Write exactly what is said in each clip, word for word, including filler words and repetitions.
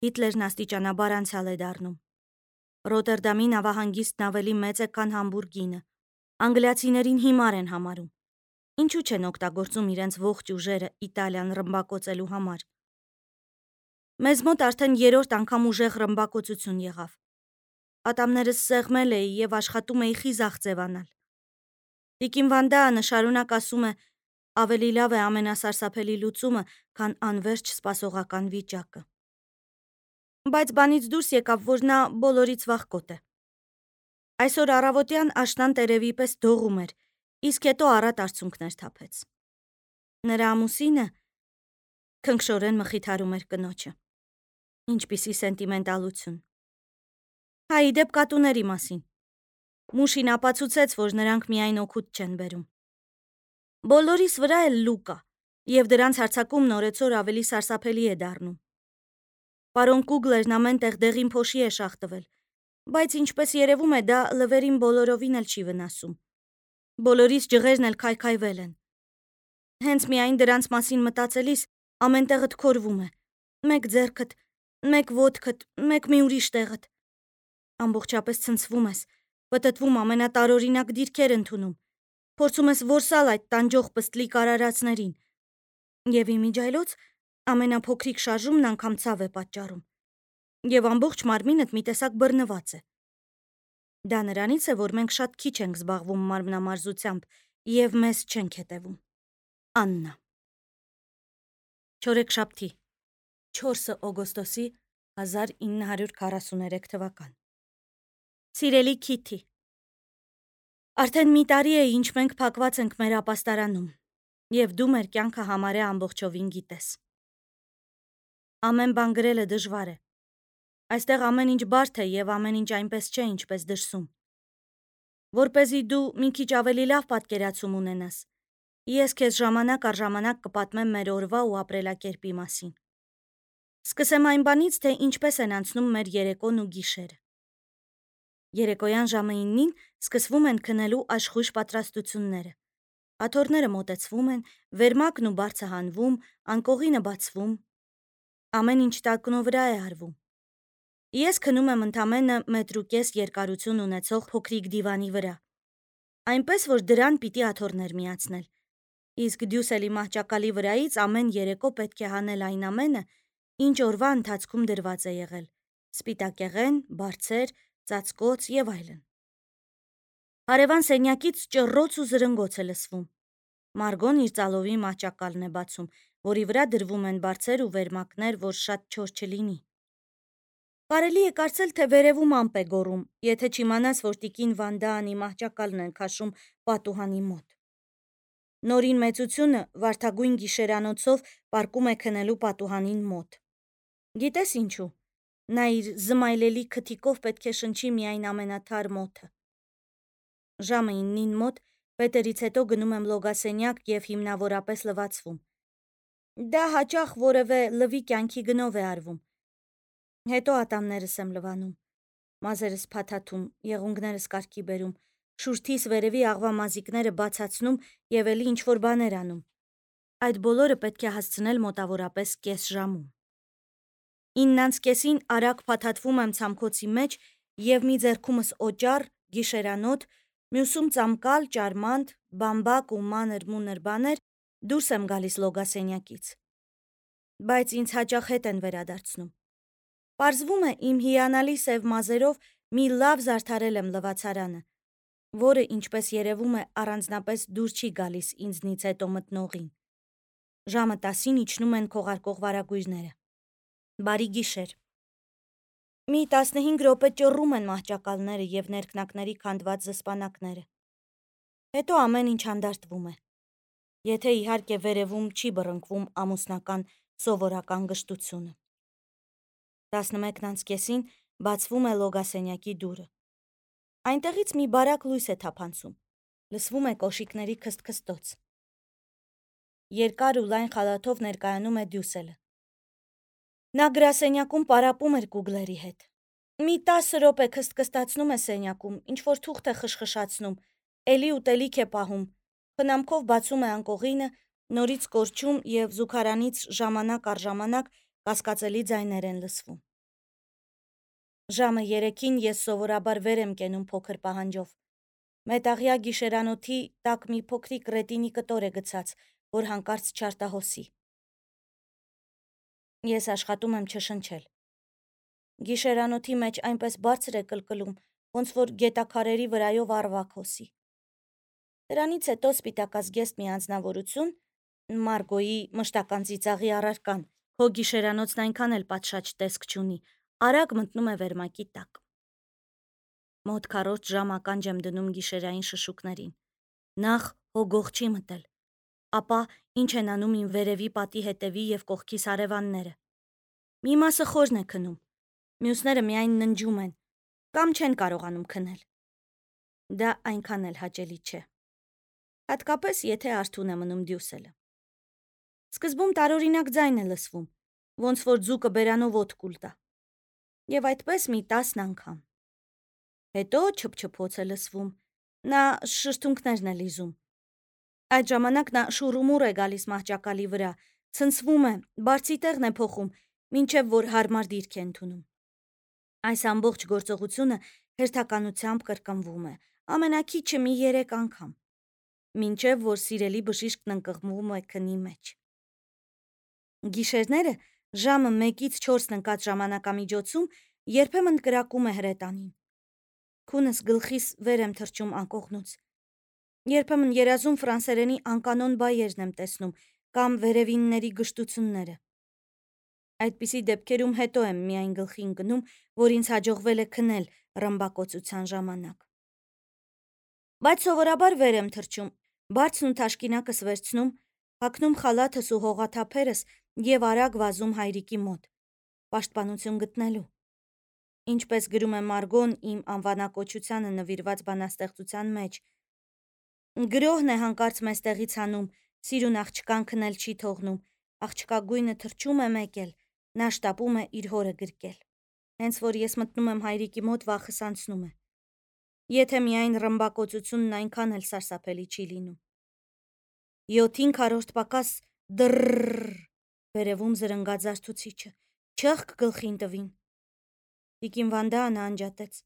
Հիտլերն աստիճանաբար անցյալ է դառնում։ Ռոտերդամի նավահանգիստն ավելի մեծ է, քան Համբուրգինը։ Անգլիացիներին հիմար են համարում։ Ինչու չեն օգտագործում իրենց ողջ ուժերը Իտալիան ռմբակոծելու համար։ Մեզ մոտ արդեն երրորդ անգամ ուժեղ ռմբակոծություն եղավ։ Ատամներս սեղմել էի եւ աշխատում էի խիզախ ձևանալ։ Տիկին Վանդաանը շարունակ ասում է, ավելի լավ է ամենասարսափելի լուծումը, քան անվերջ սպասողական վիճակը։ Բայց բանից դուրս եկավ, որ նա բոլորից վախկոտ է։ Այսօր առավոտյան աշնան տերևի պես դողում էր, իսկ հետո առատ արցունքներ թափեց։ Նրա ամուսինը քնքշորեն մխիթարում էր կնոջը։ Ինչպիսի սենտիմենտալություն։ Հա, ի դեպ կատուների մասին։ Մուշին ապացուցեց, որ նրանք միայն օգուտ չեն բերում։ Բոլորիս վրա էլ լուկ կա, եւ դրանց հարձակումն օրեցօր ավելի սարսափելի է դառնում։ Պարոն Կուգլերն ամեն տեղ դեղին փոշի է շաղ տվել, բայց ինչպես երևում է, դա լվերին բոլորովին էլ չի վնասում։ Բոլորիս ջղերն էլ քայքայվել են։ Հենց միայն դրանց մասին մտածելիս ամեն տեղդ քորվում է։ Մեկ ձեռքդ, մեկ ոտքդ, մեկ մի ուրիշ տեղդ։ Ամբողջապես ցնցվում ես, պտտվում ամենատարօրինակ դիրքեր ընդունում, փորձում ես որսալ այդ տանջող պստլիկ արարածներին։ Եվ իմիջայլոց ամենափոքրիկ շարժումն անգամ ցավ է պատճառում։ Եվ ամբողջ մարմինդ մի տեսակ բռնված է։ Դա նրանից է, որ մենք շատ քիչ ենք զբաղվում մարմնամարզությամբ եւ մեզ չենք հետևում։ Աննա։ Չորեքշաբթի, չորսը օգոստոսի հազար ինը հարյուր քառասուներեք թվական։ Սիրելի Քիթի, արդեն մի տարի է, ինչ մենք փակված ենք մեր ապաստարանում, եւ դու մեր կյանքը համարյա ամբողջովին գիտես։ Ամեն բան գրելը դժվար է։ Այստեղ ամեն ինչ բարդ է եւ ամեն ինչ այնպես չէ, ինչպես դրսում։ Որպեսզի դու մի քիչ ավելի լավ պատկերացում ունենաս, ես քեզ ժամանակ առ ժամանակ կպատմեմ մեր օրվա ու ապրելակերպի մասին։ Սկսեմ այն բանից, թե ինչպես են անցնում մեր երեկոն ու գիշերը։ Երեկոյան ժամը իննին սկսվում են քնելու աշխույժ պատրաստությունները։ Աթոռները մոտեցվում են, վերմակն ու բարձը հանվում, անկողինը բացվում։ Ամեն ինչ տակնո վրա է արվում։ Ես քնում եմ ընդամենը մետր ու կես երկարություն ունեցող փոքրիկ դիվանի վրա, այնպես որ դրան պիտի աթոռներ միացնել, իսկ դյուսելի մահճակալի վրայից ամեն երեկո պետք է հանել այն ամենը, ինչ օրվա ընթացքում դրված է եղել՝ սպիտակեղեն, բարձեր, ծածկոց եւ այլն։ Հարևան սենյակից ճռռոց ու զրնգոց է լսվում։ Մարգոն իր ծալովի մահճակալն է բացում, որի վրա դրվում են բարձեր ու վերմակներ, որ շատ չոր չլինի։ Կարելի է կարծել, թե վերևում ամպ է գոռում, եթե չիմանաս, որ տիկին Վանդաանի մահճակալն են քաշում պատուհանի մոտ։ Նորին մեծությունը վարդագույն գիշերանոցով պառկում է քնելու պատուհանին մոտ։ Գիտես ինչու։ Նա իր զմայլելի քթիկով պետք է շնչի միայն ամենաթար մոթը։ Ժամը իննին մոտ Պետերից հետո գնում եմ լոգասենյակ եւ հիմնավորապես լվացվում։ Դա հաճախ որևէ լվի կյանքի գնով է արվում։ Հետո ատամներս եմ լվանում, մազերս փաթաթում, եղունգներս կարգի բերում, շուրթիս վերևի աղվա մազիկները բացացնում եւ էլի ինչ-որ բաներ անում։ Այդ բոլորը պետք է հասցնել մոտավորապես կես ժամում։ իննանց կեսին արագ փաթաթվում եմ ցամքոցի մեջ եւ մի ձեռքումս օճառ, գիշերանոթ, մյուսում ծամկալ, ճարմանդ, բամբակ ու մանր մունր բաներ դուրս եմ գալիս լոգասենյակից։ Բայց ինձ հաճախ հետ են վերադարձնում։ Պարզվում է, իմ հիանալի սև մազերով մի լավ զարդարել եմ լվացարանը, որը, ինչպես երևում է, առանձնապես դուր չի գալիս ինձնից հետո մտնողին։ Ժամը տասին իջնում են քողարկող վարագույրները։ Բարի գիշեր։ Մի տասնհինգ րոպե ճռռում են մահճակալները եւ ներքնակների քանդված զսպանակները։ Հետո ամեն ինչ հանդարտվում է։ Եթե իհարկե վերևում չի բռնկվում ամուսնական սովորական գժտությունը։ տասնմեկն անց կեսին բացվում է լոգասենյակի դուռը։ Այնտեղից մի բարակ լույս է թափանցում։ Լսվում է կոշիկների քստքստոց։ Երկար ու լայն խալաթով ներկայանում է Դյուսելը։ Նա գրասենյակում պարապում էր Կուգլերի հետ։ Մի տասը րոպե քստքստացնում է սենյակում, ինչ-որ թուղթ է խշխշացնում, էլի ուտելիք է պահում, խնամքով բացում է անկողինը, նորից կորչում եւ զուգարանից ժամանակ առ ժամանակ կասկածելի ձայներ են լսվում։ Ժամը երեքին ես սովորաբար վեր եմ կենում փոքր պահանջով։ Մետաղյա գիշերանոթի տակ մի փոքրիկ ռետինի կտոր է գցած, որ հանկարծ չարտահոսի։ Ես աշխատում եմ չշնչել։ Գիշերանոթի մեջ այնպես բարձր է կլկլում, ոնց որ գետաքարերի վրայով առվակ հոսի։ Դրանից հետո սպիտակազգեստ մի անձնավորություն, Մարգոյի մշտական ծիծաղի առարկան, քո գիշերանոցն այնքան էլ պատշաճ տեսք չունի, արագ մտնում է վերմակի տակ։ Մոտ քառորդ ժամ ականջ եմ դնում գիշերային շշուկներին։ Նախ հոգող չի մտել, ապա ինչ են անում իմ վերևի պատի հետևի և կողքիս հարևանները։ Մի մասը խորն է քնում, մյուսները միայն ննջում են կամ չեն կարողանում քնել։ Դա այնքան էլ հաճելի չէ։ Հատկապես, եթե արթուն է մնում դյուսելը։ Սկզբում տարօրինակ ձայն է լսվում, ոնց որ ձուկը բերանով օդ կուլ տա։ Եվ այդպես մի տասն անգամ։ Հետո չփչփոց է լսվում, նա շրթունքներն է լիզում։ Այդ ժամանակ նա շուռումուռ է գալիս մահճակալի վրա, ցնցվում է, բարձի տեղն է փոխում, մինչև որ հարմար դիրք է ընդունում։ Այս ամբողջ գործողությունը հերթականությամբ կրկնվում է, ամենաքիչը մի երեք անգամ, մինչև որ սիրելի բժիշկն ընկղմվում է քնի մեջ։ Գիշերները ժամը մեկից չորսն ընկած ժամանակամիջոցում երբեմն կրակում է հրետանին։ Քունս գլխիս վեր եմ թռչում անկողնուց։ Երբեմն երազում ֆրանսերենի անկանոն բայերն եմ տեսնում կամ վերևինների գժտությունները։ Այդպիսի դեպքերում հետո եմ միայն գլխի ընկնում, որ ինձ հաջողվել է քնել ռմբակոծության ժամանակ։ Բայց սովորաբար վեր եմ թռչում, բարձն ու թաշկինակս վերցնում, հագնում խալաթս ու հողաթափերս և արագ վազում հայրիկի մոտ, պաշտպանություն գտնելու։ Ինչպես գրում է Մարգոն իմ անվանակոչությանը նվիրված բանաստեղծության մեջ. «Գրոհն է հանկարծ մեզ տեղից հանում, սիրուն աղջկան քնել չի թողնում, աղջկա գույնը թռչում է մեկ էլ, նա շտապում է իր հորը գրկել։ Հենց որ ես մտնում եմ հայրիկի մոտ, վախս անցնում է։ Եթե միայն ռմբակոծությունն այնքան էլ սարսափելի չի լինում։ Յոթին քառորդ պակաս դռռռ, վերևում զրնգաց զարթուցիչը, չըխկ գլխին տվին։ Տիկին Վանդանը անջատեց։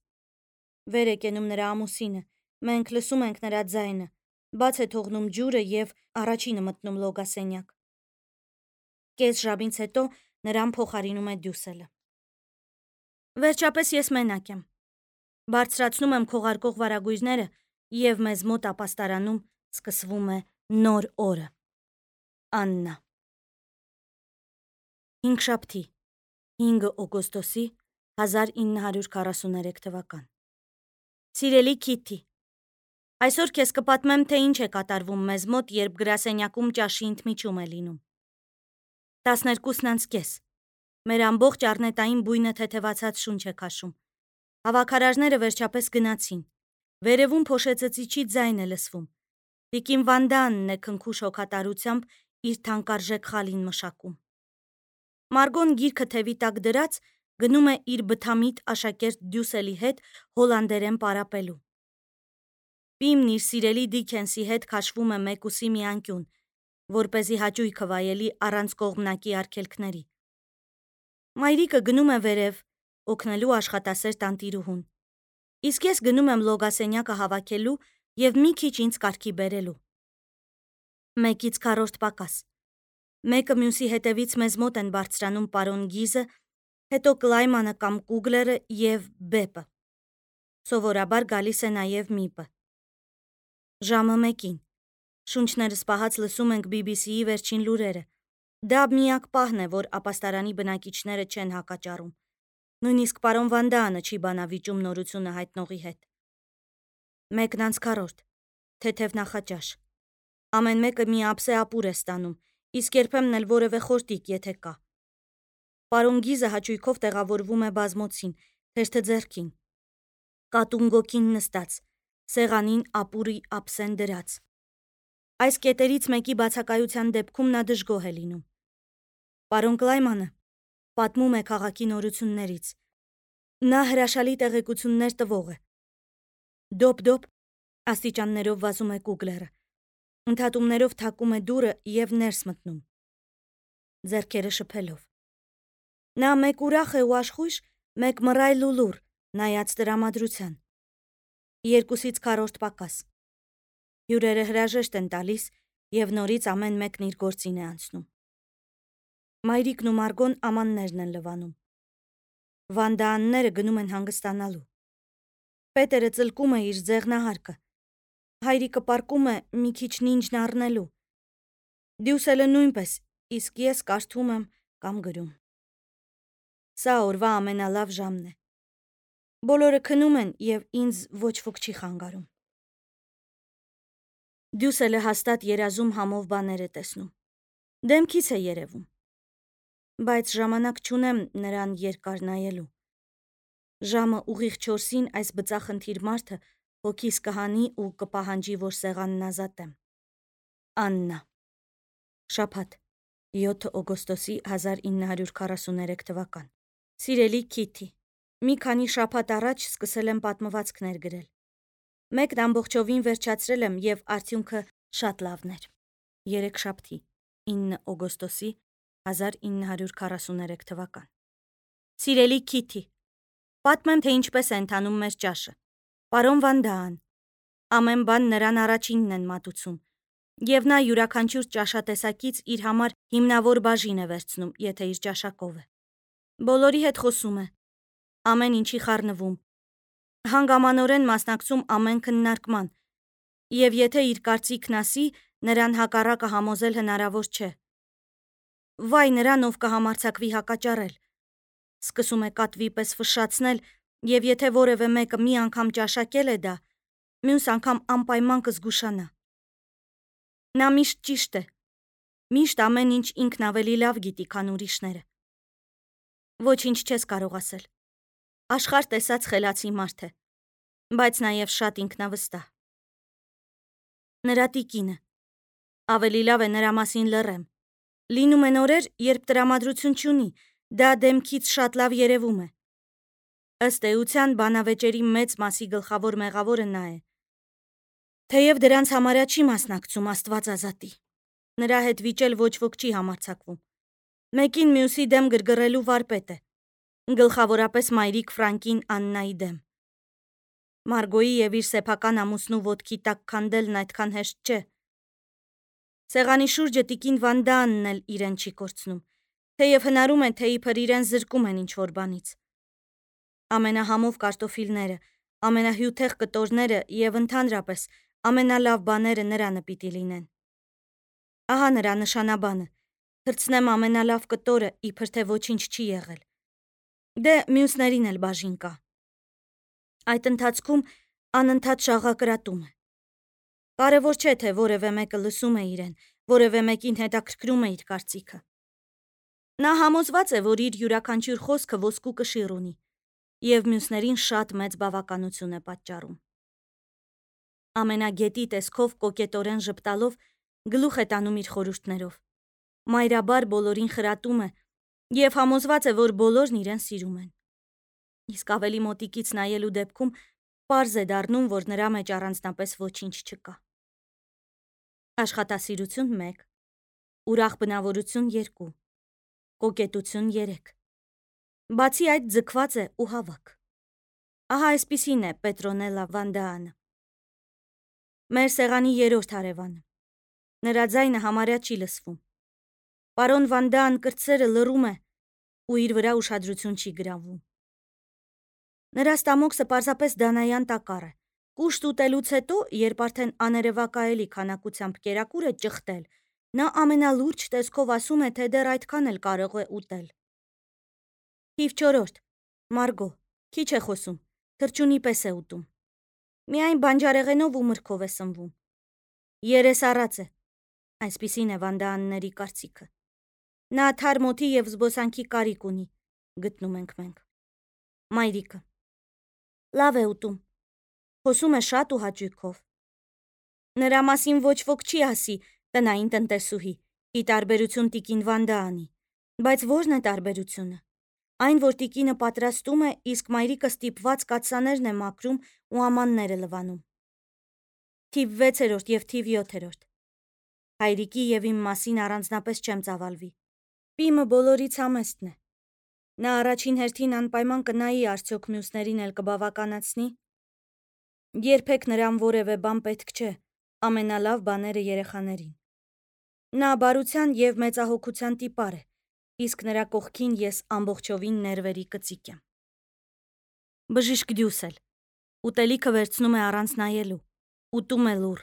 Վեր է կենում նրա ամուսինը, մենք լսում ենք նրա ձայնը, բաց է թողնում ջուրը և առաջինը մտնում լոգասենյակ։ Կես ժամից հետո նրան փոխարինում է դյուսելը։ Վերջապես ես մենակ եմ։ Բարձրացնում եմ քողարկող վարագույրները և մեզ մոտ ապաստարանում սկսվում է նոր օրը։ Աննա։ Հինգշաբթի, հինգ օգոստոսի հազար ինը հարյուր քառասուներեք թվական։ Սիրելի Քիթի, այսօր քեզ կպատմեմ, թե ինչ է կատարվում մեզ մոտ, երբ գրասենյակում ճաշի ընդմիջում է լինում։ տասներկուսն անց կես։ Մեր ամբողջ առնետային բույնը թեթևացած շունչ է քաշում։ Հավաքարարները վերջապես գնացին։ Վերևում փոշեծծիչի ձայն է լսվում։ Տիկին Վանդանն է քնքուշ հոգատարությամբ իր թանկարժեք խալին մշակում։ Մարգոն գիրքը թևի տակ դրած գնում է իր բթամիտ աշակերտ դյուսելի հետ հոլանդերեն պարապելու։ Պիմն իր սիրելի Դիքենսի հետ քաշվում է մեկուսի մի անկյուն, որպեսզի հաճույքը վայելի առանց կողմնակի արգելքների։ Մայրիկը գնում է վերև, օգնելու աշխատասեր տանտիրուհուն։ Իսկ ես գնում եմ լոգասենյակը հավաքելու և մի քիչ ինձ կարգի բերելու։ Մեկից քառորդ պակաս։ Մեկը մյուսի հետևից մեզ մոտ են բարձրանում պարոն Գիզը, հետո Կլայմանը կամ Կուգլերը և Բեպը։ Սովորաբար գալիս է նաև Միպը։ Ժամը մեկին։ Շունչներս պահած լսում ենք բի բի սի-ի վերջին լուրերը։ Դա միակ պահն է, որ ապաստարանի բնակիչները չեն հակաճառում։ Նույնիսկ պարոն Վանդանը չի բանավիճում նորությունը հայտնողի հետ։ Մեկն անց քառորդ։ Թեթև նախաճաշ։ Ամեն մեկը մի ափսե ապուր է ստանում, իսկ երբեմն էլ որևէ խորտիկ, եթե կա։ Պարոն Գիզը հաճույքով տեղավորվում է բազմոցին, թերթը ձեռքին։ Կատուն նստած, սեղանին ապուրի ափսեն դրած։ Այս կետերից մեկի բացակայության դեպքում նա դժգոհ է լինում։ Պարոն Կլայմանը պատմում է քաղաքի նորություններից։ Նա հրաշալի տեղեկություններ տվող է։ Դոպ-դոպ աստիճաններով վազում է Կուգլերը։ Ընդհատումներով թակում է դուռը և ներս մտնում, ձեռքերը շփելով։ Նա մեկ ուրախ է ու աշխույժ, մեկ մռայլ ու լուռ, նայած տրամադրության։ Երկուսից քառորդ պակաս։ Հյուրերը հրաժեշտ են տալիս և նորից ամեն մեկն իր գործին է անցնում։ Մայրիկն ու Մարգոն ամաններն են լվանում։ Վանդաանները գնում են հանգստանալու։ Պետերը ծլկում է իր ձեղնահարկը։ Հայրիկը պառկում է մի քիչ նինջն առնելու։ Դյուսելը նույնպես, իսկ ես կարդում եմ կամ գրում։ Սա օրվա ամենալավ ժամն է։ Բոլորը քնում են և ինձ ոչ ոք չի խանգարում։ Դյուսելը հաստատ երազում համով բաներ է տեսնում։ Դեմքից է երևում։ Բայց ժամանակ չունեմ նրան երկար նայելու։ Ժամը ուղիղ չորսին այս բծախնդիր մարդը հոգիս կհանի ու կպահանջի, որ սեղանն ազատեմ։ Աննա։ Շաբաթ, յոթ օգոստոսի հազար ինը հարյուր քառասուներեք թվական։ Սիրելի Քիթի, մի քանի շաբաթ առաջ սկսել եմ պատմվածքներ գրել։ Մեկն ամբողջովին վերջացրել եմ և արդյունքը շատ լավն էր։ Երեքշաբթի, ինը օգոստոսի հազար ինը հարյուր քառասուներեք թվական։ Սիրելի Քիթի, պատմեմ, թե ինչպես է ընթանում մեր ճաշը։ Պարոն Վանդաան, ամեն բան նրան առաջինն են մատուցում, և նա յուրաքանչյուր ճաշատեսակից իր համար հիմնավոր բաժին է վերցնում, եթե իր ճաշակով է։ Բոլորի հետ խոսում է, ամեն ինչի խառնվում, հանգամանորեն մասնակցում ամեն քննարկման, և եթե իր կարծիքն ասի, նրան հակառակը համոզել հնարավոր չէ։ Վայ նրան, ով կհամարձակվի հակաճառել։ Սկսում է կատվի պես ֆշշացնել, և եթե որևէ մեկը մի անգամ ճաշակել է դա, մյուս անգամ անպայման կզգուշանա։ Նա միշտ ճիշտ է, միշտ ամեն ինչ ինքն ավելի լավ գիտի, քան ուրիշները։ Ոչինչ չես կարող ասել։ Աշխարհ տեսած խելացի մարդ է, բայց նաև շատ ինքնավստահ։ Նրա տիկինը։ Ավելի լավ է նրա մասին լռեմ։ Լինում են օրեր, երբ տրամադրություն չունի, դա դեմքից շատ լավ երևում է։ Ըստ էության, բանավեճերի մեծ մասի գլխավոր մեղավորը նա է։ Թեև դրանց համարյա չի մասնակցում, Աստված ազատի։ Նրա հետ վիճել ոչ ոք չի համարձակվում։ Մեկին մյուսի դեմ գրգռելու վարպետ է։ Գլխավորապես մայրիկ Ֆրանկին Աննայի դեմ։ Մարգոյի և իր սեփական ամուսնու ոտքի տակ քանդելն այդքան հեշտ չէ։ Սեղանի շուրջը տիկին Վանդաանն էլ իրեն չի կորցնում, թեև հնարում է, թե իբր իրեն զրկում են ինչ-որ բանից։ Ամենահամով կարտոֆիլները, ամենահյութեղ կտորները և ընդհանրապես ամենալավ բաները նրանը պիտի լինեն։ Ահա նրա նշանաբանը, թռցնեմ ամենալավ կտորը, իբր թե ոչինչ չի եղել։ Դե մյուսներին էլ բաժին կա։ Այդ ընթացքում անընդհատ շաղակրատում է։ Կարևոր չէ, թե որևէ մեկը լսում է իրեն, որևէ մեկին հետաքրքրում է իր կարծիքը։ Նա համոզված է, որ իր յուրաքանչյուր խոսքը ոսկու կշիռ ունի, և մյուսներին շատ մեծ բավականություն է պատճառում։ Ամենագետի տեսքով կոկետորեն ժպտալով գլուխ է տանում իր խորհուրդներով։ Մայրաբար բոլորին խրատում է և համոզված է, որ բոլորն իրեն սիրում են։ Իսկ ավելի մոտիկից նայելու դեպքում պարզ է դառնում, որ նրա մեջ առանձնապես ոչինչ չկա։ Աշխատասիրություն մեկ, ուրախ բնավորություն երկու, կոկետություն երեք։ Բացի այդ ձգված է ու հավաք։ Ահա այսպիսին է Պետրոնելա Վանդաանը։ Մեր սեղանի երրորդ հարևանը։ Նրա ձայնը համարյա չի լսվում։ Պարոն Վանդաան կրտսերը լռում է ու իր վրա ուշադրություն չի գրավում։ Նրա ստամոքսը պարզապես դանայան տակառ է։ Կուշտ ուտելուց հետո, երբ արդեն աներևակայելի քանակությամբ կերակուր է ճխտել, նա ամենալուրջ տեսքով ասում է, թե դեռ այդքան էլ կարող է ուտել։ Թիվ չորրորդ, Մարգո, քիչ է խոսում, թռչունի պես է ուտում։ Միայն բանջարեղենով ու մրգով է սնվում։ Երես առած է, այսպիսին է Վանդաանների կարծիքը։ Նա թարմ օդի և զբոսանքի կարիք ունի, գտնում ենք մենք։ Մայրիկը. Լավ է ուտում, խոսում է շատ ու հաճույքով։ Նրա մասին ոչ ոք չի ասի տնային տնտեսուհի, ի տարբերություն տիկին Վանդաանի, բայց ո՞րն է տարբերությունը։ Այն, որ տիկինը պատրաստում է, իսկ մայրիկը ստիպված կաթսաներն է մաքրում ու ամանները լվանում։ Թիվ վեցերորդ և թիվ յոթերորդ. Հայրիկի և իմ մասին առանձնապես չեմ ծավալվի։ Պիմը բոլորից համեստն է։ Նա առաջին հերթին անպայման կնայի արդյոք մյուսներին էլ կբավականացնի։ Երբեք նրան որևէ բան պետք չէ, ամենալավ բաները երեխաներին։ Նա բարության և մեծահոգության տիպար է, իսկ նրա կողքին ես ամբողջովին ներվերի կծիկ եմ։ Բժիշկ Դյուսել ուտելիքը վերցնում է առանց նայելու, ուտում է լուռ։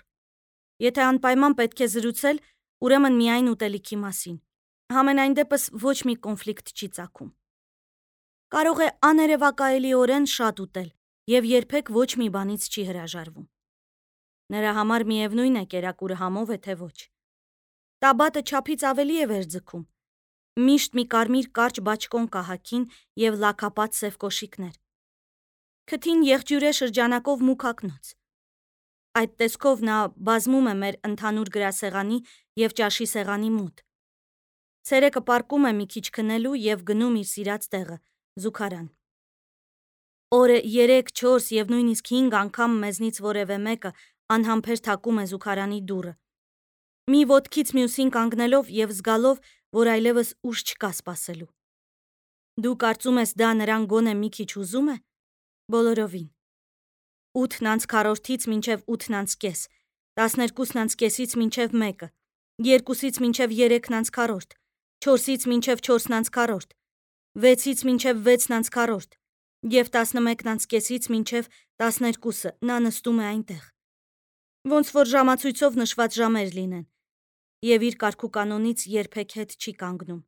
Եթե անպայման պետք է զրուցել, ուրեմն միայն ուտելիքի մասին։ Համենայն դեպս ոչ մի կոնֆլիկտ չի ծագում։ Կարող է աներևակայելիորեն շատ ուտել և երբեք ոչ մի բանից չի հրաժարվում։ Նրա համար միևնույն է կերակուրը համով է, թե ոչ։ Տաբատը չափից ավելի է վեր ձգում։ Միշտ մի կարմիր կարճ բաճկոն կահաքին և լաքապատ սև կոշիկներ։ Քթին եղջյուր է շրջանակով մուգ ակնոց։ Այդ տեսքով նա բազմում է մեր ընդհանուր գրասեղանի և ճաշի սեղանի մոտ։ Ցերեկը պառկում է մի քիչ քնելու և գնում իր սիրած տեղը՝ զուգարան։ Օրը երեք, չորս և նույնիսկ հինգ անգամ մեզնից որևէ մեկը անհամբեր թակում է զուգարանի դուռը, մի ոտքից մյուսին կանգնելով և զգալով, որ այլևս ուժ չկա սպասելու։ Դու կարծում ես դա նրան գոնե մի քիչ հուզում է։ Բոլորովին։ Ութն անց քառորդից մինչև ութն անց կես, տասներկուսն անց կեսից մինչև մեկը, երկուսից մինչև երեքն անց քառորդ, չորսից մինչև չորսն անց քառորդ, վեցից մինչև վեցն անց քառորդ և տասնմեկն անց կեսից մինչև տասներկուսը նա նստում է այնտեղ։ Ոնց որ ժամացույցով նշված ժամեր լինեն, և իր կարգուկանոնից երբեք հետ չի կանգնում։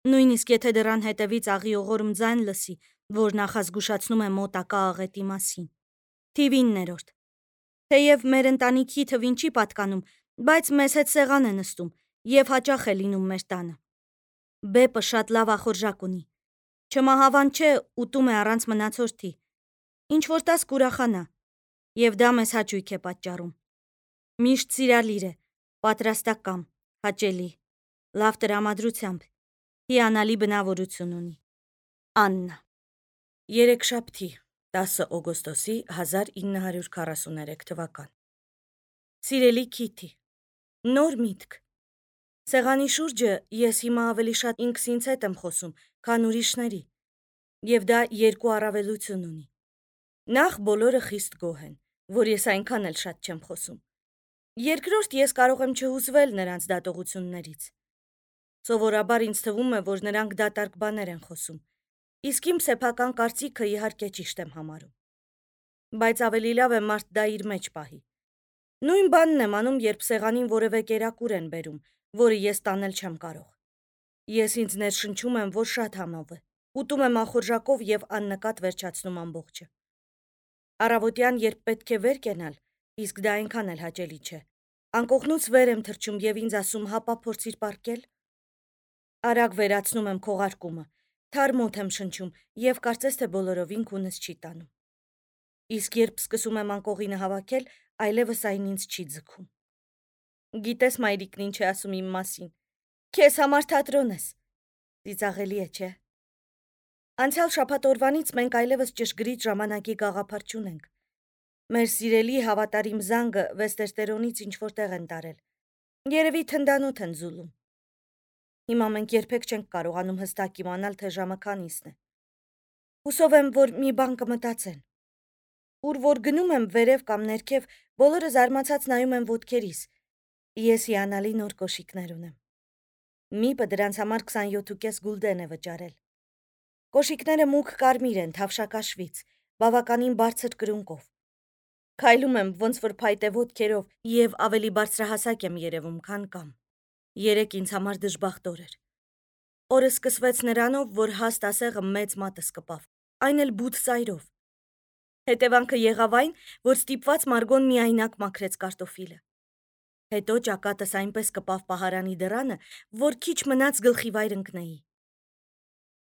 Նույնիսկ եթե դռան հետևից աղիողորմ ձայն լսի, որ նախազգուշացնում է մոտակա աղետի մասին։ Թիվիններորդ։ Թեև մեր ընտանիքի թվին չի պատկանում, բայց մեզ հետ սեղան է նստում և հաճախ է լինում մեր տանը։ Բեպը շատ լավ ախորժակ ունի։ Չմահավան չէ, ուտում է առանց մնացորդի։ Ինչ-որ տաս կուրախանա, և դա մեզ հաճույք է պատճառում։ Միշտ սիրալիր է, պատրաստակամ, հաճելի, լավ տրամադրությամբ, հիանալի բնավորություն ունի։ Աննա Երեքշաբթի, տասը օգոստոսի հազար ինը հարյուր քառասուներեք թվական Սիրելի Քիթի, նոր միտք։ Սեղանի շուրջը ես հիմա ավելի շատ ինքս ինձ հետ եմ խոսում, քան ուրիշների, և դա երկու առավելություն ունի։ Նախ բոլորը խիստ գոհ են, որ ես այնքան էլ շատ չեմ խոսում։ Երկրորդ ես կարող եմ չհուզվել նրանց դատողություններից։ Սովորաբար ինձ թվում է, որ նրանք դատարկ բաներ են խոսում, իսկ իմ սեփական կարծիքը իհարկե ճիշտ եմ համարում։ Բայց ավելի լավ է մարդ դա իր մեջ պահի։ Նույն բանն եմ անում, երբ սեղանին որևէ կերակուր են բերում, որը ես տանել չեմ կարող։ Ես ինձ ներշնչում եմ, որ շատ համով է, ուտում եմ ախորժակով և աննկատ վերջացնում ամբողջը։ Առավոտյան, երբ պետք է վեր կենալ, իսկ դա այնքան էլ հաճելի չէ, անկողնուց վեր եմ թռչում և ինձ ասում հապա փորձիր պառկել։ Արագ վերացնում եմ քողարկումը, թարմ օդ եմ շնչում և կարծես թե բոլորովին քունս չի տանում։ Իսկ երբ սկսում եմ անկողինը հավաքել, այլևս այն ինձ չի ձգում։ Գիտես մայրիկն ինչ է ասում իմ մասին. «Քեզ համար թատրոն ես»։ Ծիծաղելի է, չէ՞։ Անցյալ շաբաթ օրվանից մենք այլևս ճշգրիտ ժամանակի գաղափար չունենք։ Մեր սիրելի հավատարիմ զանգը Վեստերտերոնից ինչ-որ տեղ են տարել։ Երևի թնդանոթ են զուլում։ Հիմա մենք երբեք չենք կարողանում հստակ իմանալ, թե ժամը քանիսն է։ Հուսով եմ, որ մի բան կմտածեն։ Ուր որ գնում եմ վերև կամ ներքև, բոլորը զարմացած նայում են ոտքերիս։ Ես հիանալի նոր կոշիկներ ունեմ։ Միպը դրանց համար քսանյոթ գուլդեն է վճարել։ Կոշիկները մուգ կարմիր են, թավշակաշվից, բավականին բարձր կրունկով։ Քայլում եմ ոնց որ փայտե ոտքերով և ավելի բարձրահասակ եմ երևում, քան կամ։ Երեկ ինձ համար դժբախտ օր էր։ Օրը սկսվեց նրանով, որ հաստ ասեղը մեծ մատս կպավ, այն էլ բութ ծայրով։ Հետևանքը եղավ այն, որ ստիպված Մարգոն միայնակ մաքրեց կարտոֆիլը։ Հետո ճակատս այնպես կպավ պահարանի դռանը, որ քիչ մնաց գլխիվայր ընկնեի։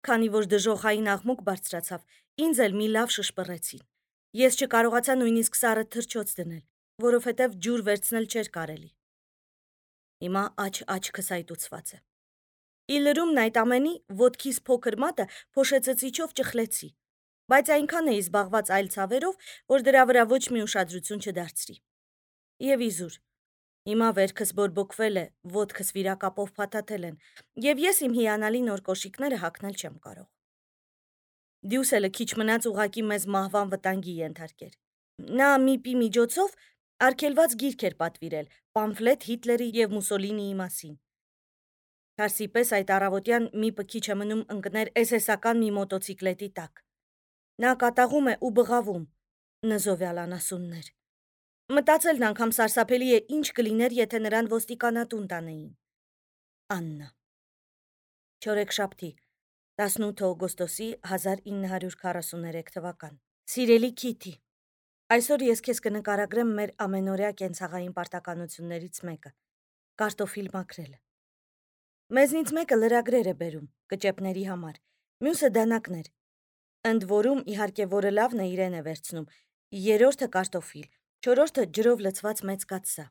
Քանի որ դժոխային աղմուկ բարձրացավ, ինձ էլ մի լավ շշպռեցին։ Ես չկարողացա նույնիսկ սառը թռչոց դնել, որովհետև ջուր վերցնել չէր կարելի։ Հիմա աջ-աջ քսայտուցված է։ Ի լրումն այդ ամենի, ոտքիս փոքր մատը փոշեցծիչով ճխլեցի, բայց այնքան էի զբաղված այլ ցավերով, որ դրա վրա ոչ մի ուշադրություն չդարձրի։ Եվ իզուր, Հիմա վերքս բորբոքվել է, ոտքս վիրակապով փաթաթել են, եւ ես իմ հիանալի նոր կոշիկները հագնել չեմ կարող։ Դյուսելը քիչ մնաց ուղակի մեզ մահվան վտանգի ենթարկեր։ Նա միպի միջոցով արգելված գիրք էր պատվիրել, պամֆլետ Հիտլերի եւ Մուսոլինիի մասին։ Թարսի պես այդ առավոտյան միպը քիչ է մնում ընկներ էսեսական մի մոտոցիկլետի տակ։ Նա կատաղում է ու բղավում, նզովյալ անասուններ։ Մտածելն անգամ սարսափելի է, ինչ կլիներ, եթե նրան ոստիկանատուն տանեին։ Աննա։ Չորեքշաբթի, տասնութ օգոստոսի հազար ինը հարյուր քառասուներեք թվական։ Սիրելի Քիթի, այսօր ես քեզ կնկարագրեմ մեր ամենօրյա կենցաղային պարտականություններից մեկը՝ կարտոֆիլ մաքրելը։ Մեզնից մեկը լրագրեր է բերում, կճեպների համար, մյուսը դանակներ։ Ընդ որում, իհարկե, որը լավն է իրեն է վերցնում, երրորդը կարտոֆիլ, չորրորդը ջրով լցված մեծ կաթսա։